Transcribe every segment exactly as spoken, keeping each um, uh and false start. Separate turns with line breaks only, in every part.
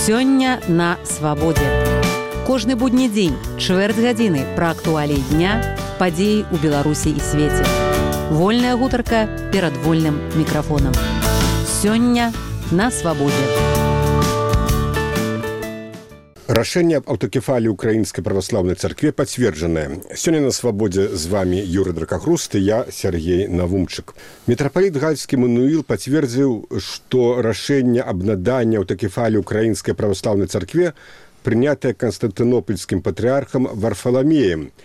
Сёння на свабодзе. Кожны будні дзень, чвэрць гадзіны пра актуаліі дня, падзеі ў Беларусі і свеце. Вольная гутарка перад вольным мікрафонам. Сёння на свабодзе.
Рашэнне аб аўтакефаліі Украінскай праваслаўнай царкве пацверджанае. Сёння на свабодзе з вами Юрый Дракахруст і я, Сергей Навумчык. Мітрапаліт Гальскі Мануіл пацвердзіў, што рашэнне аб наданні аўтакефаліі Украінскай праваслаўнай царкве прынятае Канстантынопольскім патрыархам Варфаламеем.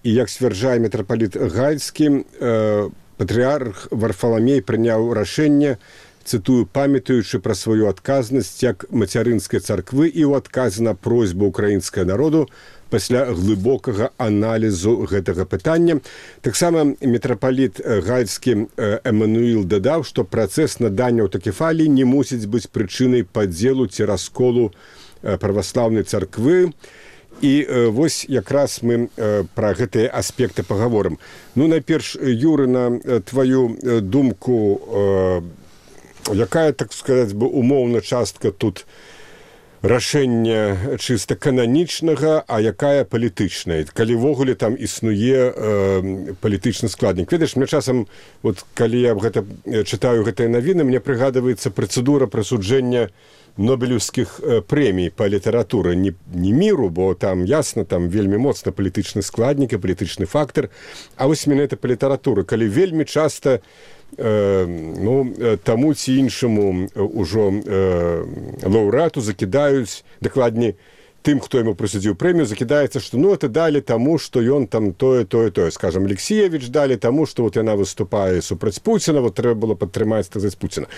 І, як сцвярджае мітрапаліт Гальскі, э, патрыарх Варфаламей прыняў рашэнне, цытую, памятаючы пра сваю адказнасць як мацярынскай царквы і ў адказ на просьбу ўкраінскага народу пасля глыбокага аналізу гэтага пытання. Таксама мітрапаліт Гальскі Эммануіл дадаў, што працэс надання аўтакефаліі не мусіць быць прычынай падзелу ці расколу праваслаўнай царквы. І э, вось якраз мы э, пра гэтыя аспекты пагаворым. Ну, найперш, Юры, на тваю думку, э, якая, так сказаць бы, умоўна частка тут рашэння чыста кананічнага, а якая палітычная? Калі ввогуле там існуе э, палітычны складнік. Ведаеш, мне часам, вот, калі я гэта, чытаю гэтыя навіны, мне прыгадваецца працэдура прысуджэння Нобелевскіх прэмій па літаратуры, не, не міру, бо там ясна, там вельмі моцна палітычны складнік і палітычны фактор, а вось менавіта па літаратуры, калі вельмі часта э, ну, таму ці іншаму ўжо э, лаўрэату закідаюць, дакладней, тым, хто яму прысудзіў прэмію, закідаецца, што ну, это далі таму, што ён там тое, тое, тое. Скажам, Алексеевич далі таму, што вот яна выступае супраць Пуціна, вот трэба было падтрымаць, так сказаць, Пуціна.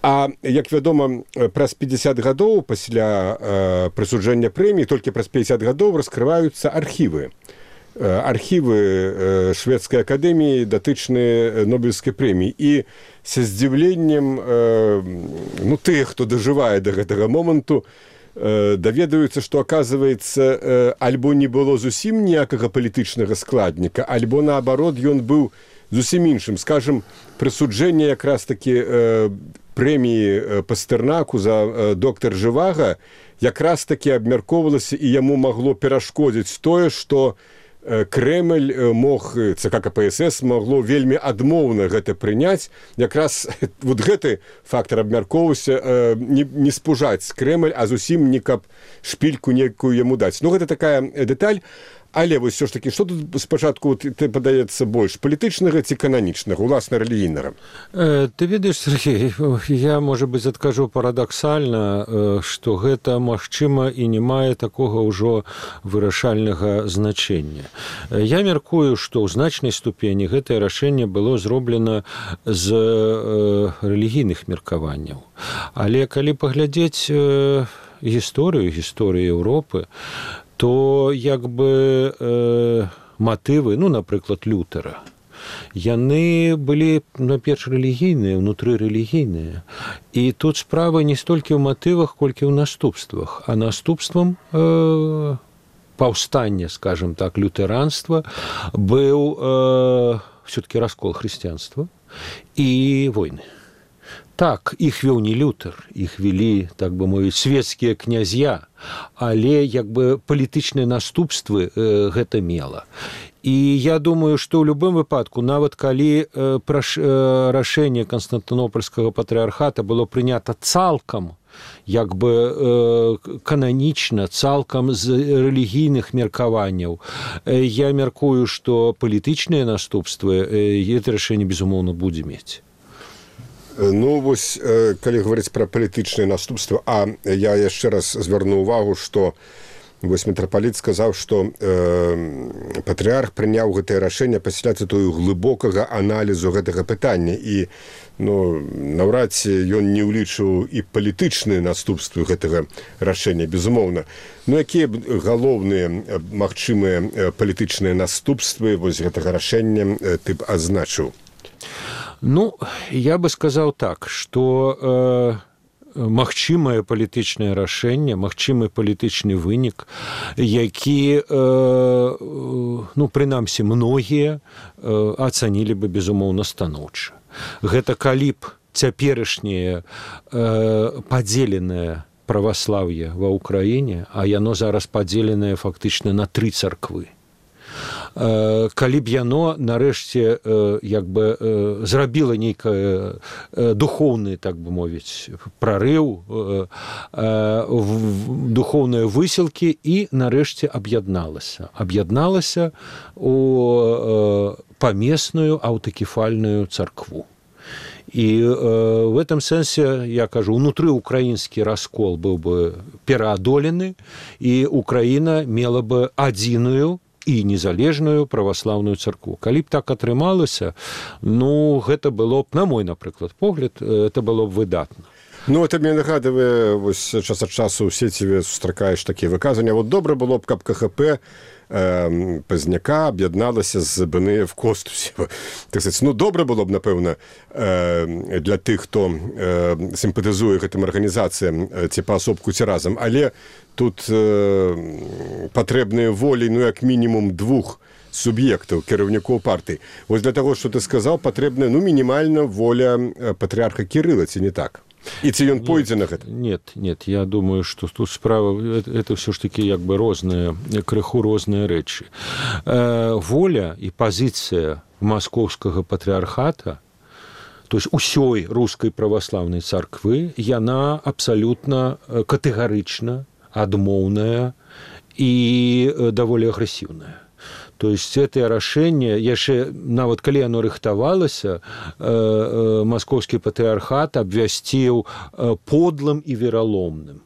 А, як вядома, праз пятьдесят гадоў пасля э, прысуджэння прэміі, толькі праз пятьдесят гадоў раскрываюцца архівы. Э, архівы э, шведскай акадэміі, датычныя Нобелевскай прэміі. І са здзіўленнем э, ну, тых, хто дажывае да гэтага моманту, э, даведаюцца, што, аказваецца, э, альбо не было зусім ніякага палітычнага складніка, альбо, наабарот, ён быў зусім іншым. Скажам, прысуджэнне якраз такі э, прэміі Пастэрнаку за э, доктар Жывага якраз такі абмяркоўвалася і яму магло перашкодзіць тое, што э, Крэмль мог, ЦК КПСС магло вельмі адмоўна гэта прыняць. Якраз вот гэты фактор абмяркоўваўся э, не, не спужаць Крэмль, а зусім не каб шпільку некую яму даць. Ну, гэта такая дэталь. Але вось ўсё ж такі, што тут спачатку ты падаецца больш палітычнага ці кананічнага, уласна рэлігійнага?
Э, ты ведаеш, Сергей, я, можа быць, адкажу парадаксальна, э, што гэта магчыма і не мае такога ўжо вырашальнага значэння. Э, я мяркую, што ў значнай ступені гэтае рашэнне было зроблена з э, рэлігійных меркаванняў. Але калі паглядзець э, гісторыю, гісторыю Еўропы, то як бы э, матывы, ну, напрыклад, Лютера, яны былі, наперш, рэлігійныя, унутры рэлігійныя. І тут справа не столькі ў матывах, колькі ў наступствах. А наступствам э, паўстання, скажем так, лютэранства быў э, все-таки раскол хрысціянства і войны. Так, іх вёў не Лютер, іх вялі, так бы мовіць, свецкія князья, але як бы палітычныя наступствы э, гэта мела. І я думаю, што ў любым выпадку, нават калі э, праш, э, рашэнне Канстантынопольскага патрыархата было прынята цалкам, як бы э, кананічна, цалкам з рэлігійных меркаванняў, э, я мяркую, што палітычныя наступствы э, гэта рашэнне, безумоўна, будзе мець.
Ну, вось, калі гаварыць пра палітычныя наступствы, а я яшчэ раз звярну ўвагу, што вось мітрапаліт сказаў, што э, патрыарх прыняў гэтае рашэнне пасля цытую глыбокага аналізу гэтага пытання. І ну, наўрад ці ён не ўлічыў і палітычныя наступствы гэтага рашэння, безумоўна. Ну, якія б галоўныя магчымыя палітычныя наступствы вось гэтага рашэння ты б азначыў?
Ну, я бы сказаў так, што э, магчымае палітычнае рашэнне, магчымы палітычны вынік, які, э, ну, прынамсі, многія э, ацанілі бы, безумоўна, станоўча. Гэта калі б цяперашняе э, падзеленае праваслаўе ва ўкраіне, а яно зараз падзеленае фактычна на тры царквы. Калі б яно нарэшце як бы зрабіла нейкае духоўны, так бы мовіць, прарыў, духоўныя высілкі і нарэшце аб'ядналася. Аб'ядналася у памесную аўтакефальную царкву. І э, в этом сэнсе, я кажу, унутры украінскі раскол быў бы пераадолены, і Украіна мела бы адзіную і незалежную праваслаўную царкву. Калі б так атрымалася, ну, гэта было б, на мой, напрыклад, погляд, это было б выдатна.
Ну, это мне нагадывае, вось час ад часу ў сеціве сустракаеш такія выказванні. Вот добра было б, каб КХП э, Пазняка аб'ядналася з БНФ Костусі. Так сказать, ну, добра было б, напэўна, э, для тых, хто э, сімпатызуе гэтым арганізацыям, э, ці паасобку, ці разам. Але тут э, патрэбныя волі, ну, як мінімум двух суб'ектаў, кіраўнікоў партый. Вось для таго, што ты сказаў, патрэбная, ну, мінімальна воля патрыарха Кірыла, ці не так? І ці ён пойдзе на гэта?
Нет, нет, я думаю, што тут справа, это, это все ж таки як бы розныя, крыху розныя рэчы. Э, воля і пазіцыя маскоўскага патрыархата, то есть усёй рускай праваслаўнай царквы, яна абсалютна катэгарычна адмоўная і даволі агрэсіўная. То есть это рашэнне, яшчэ нават калі оно рыхтавалася, э, э, маскоўскі патрыархат абвясціў э, подлым і вераломным.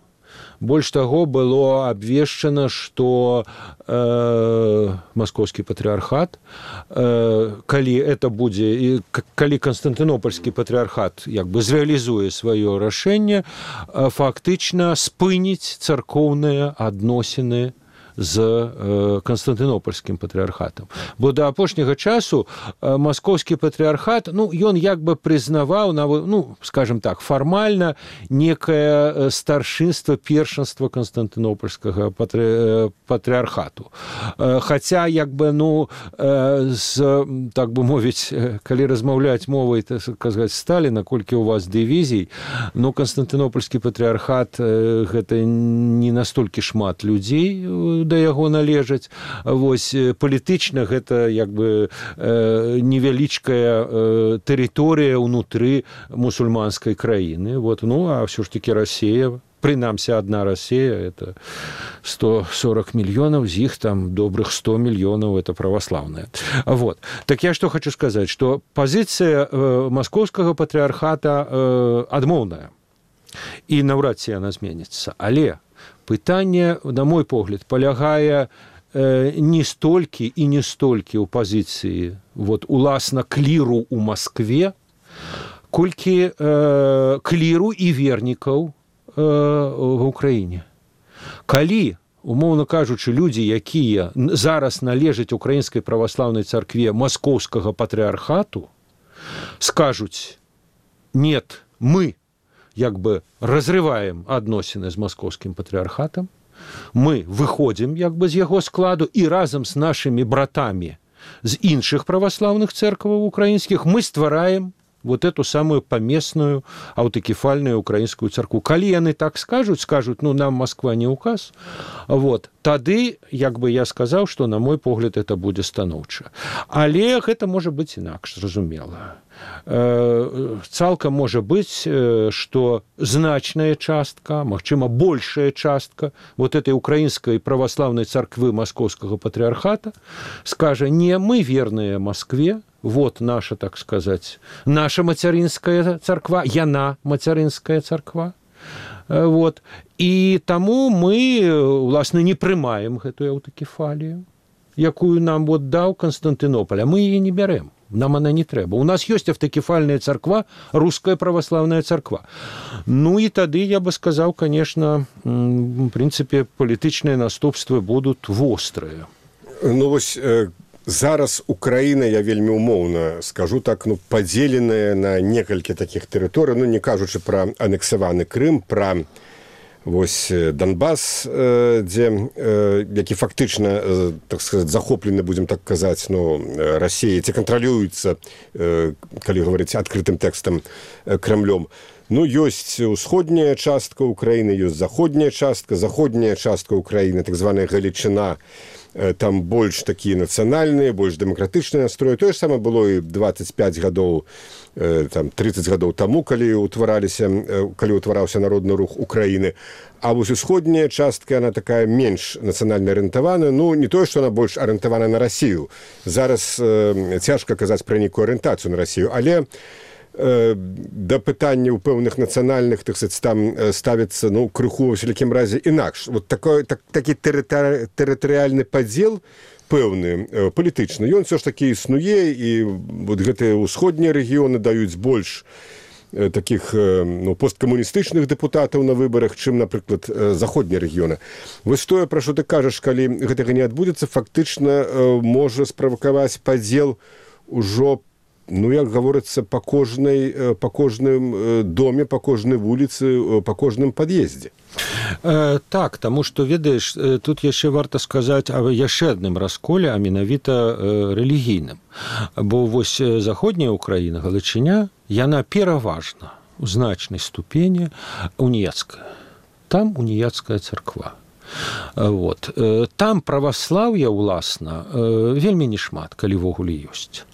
Больш таго, было абвешчана, што э, маскоўскі патрыархат, э, калі это будзе, і, калі Канстантынопольскі патрыархат як бы зрэалізуе сваё рашэнне, э, фактычна спыніць царкоўныя адносіны з э, Канстантынопольскім патрыархатам. Бо да апошняга часу э, маскоўскі патрыархат, ну, ён як бы прызнаваў, ну, скажем так, фармальна некае старшынства, першынства Канстантынопольскага патры, патрыархату. Э, хаця, як бы, ну, э, з, так бы мовіць, калі размаўляць мовай, так сказаць, Сталіна, колькі у вас дывізій, ну, Канстантынопольскі патрыархат э, гэта не настолькі шмат людзей да яго належаць. Вось палітычна гэта як бы э, невялічкая э, тэрыторыя ўнутры мусульманскай краіны. Вот, ну, а ўсё ж таки Расія, прынамсі адна Расія, это сто сорок мільёнаў, з іх там добрых сто мільёнаў это праваслаўная. Вот. Так я што хочу сказаць, што пазіцыя э, маскоўскага патрыархата э, адмоўная. І наўрад ці яна зменіцца. Але пытанне, на мой погляд, палягае э, не столькі і не столькі ў пазіцыі вот, уласна кліру ў Маскве, колькі э, кліру і вернікаў э, в Украіне. Калі, умоўна кажучы, людзі, якія зараз належаць украінскай праваслаўнай царкве маскоўскага патрыархату, скажуць: нет, мы як бы разрываем адносіны з маскоўскім патрыархатам, мы выходзім як бы з яго складу і разам з нашымі братамі з іншых праваслаўных цэркваў украінскіх мы ствараем вот эту самую памесную аўтакефальную украінскую царкву. Калі яны так скажуць, скажуць, ну, нам Москва не указ, вот, тады, як бы я сказаў, што, на мой погляд, это будзе станоўча. Але гэта можа быць інакш, зразумела. Цалкам можа быць, што значная частка, магчыма, большая частка вот этой украінскай праваслаўнай царквы маскоўскага патрыархата скажа: не, мы верныя Москве, вот наша, так сказаць, наша мацярынская царква, яна мацярынская царква. Вот. І таму мы, уласна, не прымаем гэтую аўтакефалію, якую нам вот даў Канстантынополь, а мы яе не бярэм. Нам она не трэба. У нас ёсць аўтакефальная царква, руская праваслаўная царква. Ну і тады, я бы сказаў, конечно, в прынцыпе, палітычныя наступствы будуць вострыя.
Ну, вось, э, зараз Украіна, я вельмі умоўна скажу так, ну, падзеленая на некалькі такіх тэрыторый, ну, не кажучы пра анексаваны Крым, пра вось Донбас, дзе, які фактычна, так сказаць, захоплены, будзем так казаць, ну, Расіяй, ці кантралююцца, калі гаварыць адкрытым тэкстам, Крамлём. Ну, ёсць усходняя частка Украіны, ёсць заходняя частка, заходняя частка Украіны, так званая Галічына, там больш такія нацыянальныя, больш дэмакратычныя настроі. Тое ж самае было і дваццаць пяць гадоў, там, трыццаць гадоў таму, калі ўтвараліся, калі ўтвараўся народны рух Украіны. А вось усходняя частка, она такая менш нацыянальна арыентаваная. Ну, не тое, што она больш арыентавана на Расію. Зараз э, цяжка казаць пра нейкую арыентацыю на Расію, але да пытання ў пэўных нацыянальных, так сказать, там ставіцца, ну, крыху, во всякім разе, інакш. Вот такой, так, такі тэрытори, тэрытарыяльны падзел пэўны, палітычны, ён все ж такі існуе, і вот гэтыя ўсходнія рэгіёны даюць больш такіх, ну, посткамуністычных дэпутатаў на выбарах, чым, напрыклад, заходнія рэгіёны. Вось тое, пра што ты кажаш, калі гэтага не адбудзецца, фактычна можа справакаваць падзел ужо, ну, як гаворыцца, па кожнай, па кожным доме, па кожнай вуліцы, па кожным пад'ездзе.
Э, так, таму што, ведаеш, тут яшчэ варта сказаць аб яшчэ адным расколе, а менавіта э, рэлігійным. Бо вось заходняя Украіна, Галічыня, яна пераважна у значнай ступені уніяцкая. Там уніяцкая царква. Вот. Там праваслаўя, уласна, вельмі не шмат, калі ввогуле ёсць.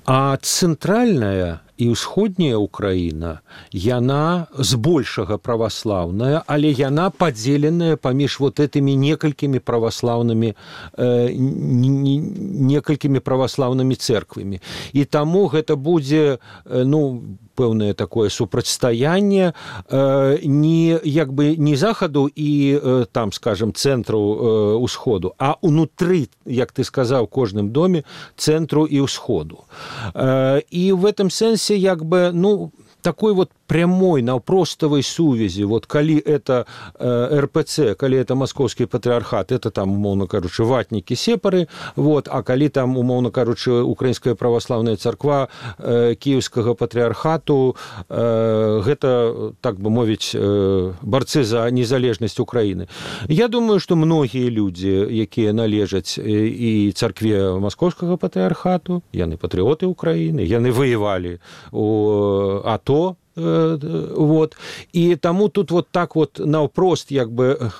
А цэнтральная і ўсходняя Украіна, яна збольшага праваслаўная, але яна падзеленая паміж вот этымі некалькімі праваслаўнымі э, некалькімі праваслаўнымі цэрквамі. І таму гэта будзе, ну, пэўнае такое супрацьстаянне э, не, як бы, не захаду і э, там, скажем, цэнтру э, усходу, а унутры, як ты сказаў, кожным доме цэнтру і ўсходу. Э, і в этом сэнсе, як бы, ну, такой вот прямой, наўпроставай сувязі, вот калі это э, эр пэ цэ, калі это Маскоўскі патрыархат, это там, умоўна кажучы, ватнікі, сепары, вот, а калі там, умоўна кажучы, Украінская праваслаўная царква э, Кіеўскага патрыархату, э, гэта, так бы мовіць, э, барцы за незалежнасць Украіны. Я думаю, што многія людзі, якія належаць і царкве Маскоўскага патрыархату, яны патрыоты Украіны, яны воевалі у АТО, вот, і таму тут вот так вот наўпрост, як бы,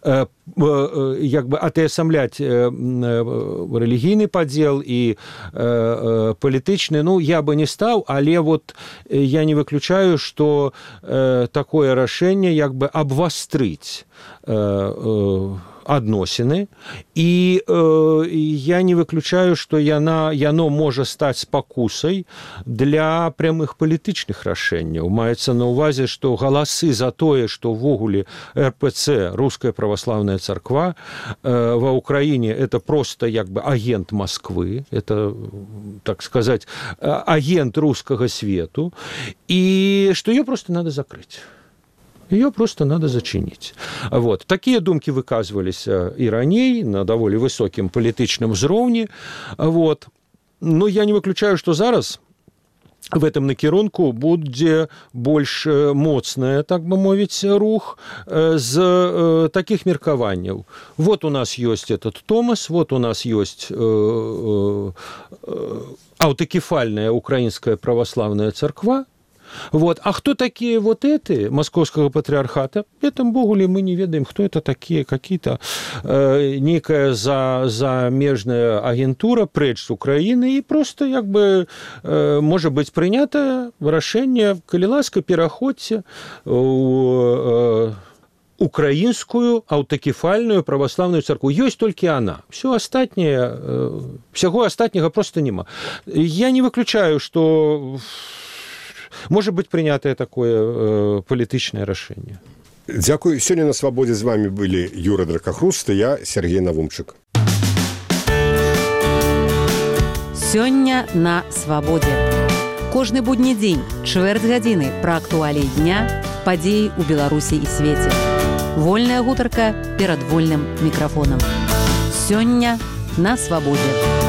як бы атэасамляць рэлігійны падзел і палітычны, ну, я бы не стаў, але вот я не выключаю, што такое рашэнне, як бы, абвастрыць адносіны, і э, я не выключаю, што яна, яно можа стаць спакусай для прямых палітычных рашэнняў. Маецца на ўвазе, што галасы за тое, што ўвогуле эр пэ цэ, Руская праваслаўная царква, э, ва Ўкраіне это просто, як бы, агент Москвы, это, так сказаць, агент рускага свету, і што её просто надо закрыць. Ее просто надо зачинить. Вот. Такие думки выказывались и ранее на довольно высоким палітычным узроўні. Вот. Но я не выключаю, что зараз в этом накірунку будзе больш моцная, так бы мовіць, рух з таких меркаванняў. Вот у нас есть этот Томас, вот у нас есть аўтакефальная Украинская православная царква. Вот. А кто такие вот эти Московского патриархата? Это, богуле, мы не ведаем, кто это такие, какие-то э, некая за, замежная агентура прэч з Украины, и просто, як бы, э, может быть принято решение, калі ласка, пераходзьце у э, украинскую аўтакефальную православную церкву. Есть только она. Все остальное, э, всего остального просто нема. Я не выключаю, что может быть принятое такое э, палітычнае рашэнне.
Дзякуй. Сёння на свабодзе з вами былі Юра Дракахруст і я, Сергей Навумчык.
Сёння на свабодзе. Кожны будні дзень, чвэрць гадзіны пра актуаліі дня, падзеі ў Беларусі і свеце. Вольная гутарка перад вольным мікрафонам. Сёння на свабодзе.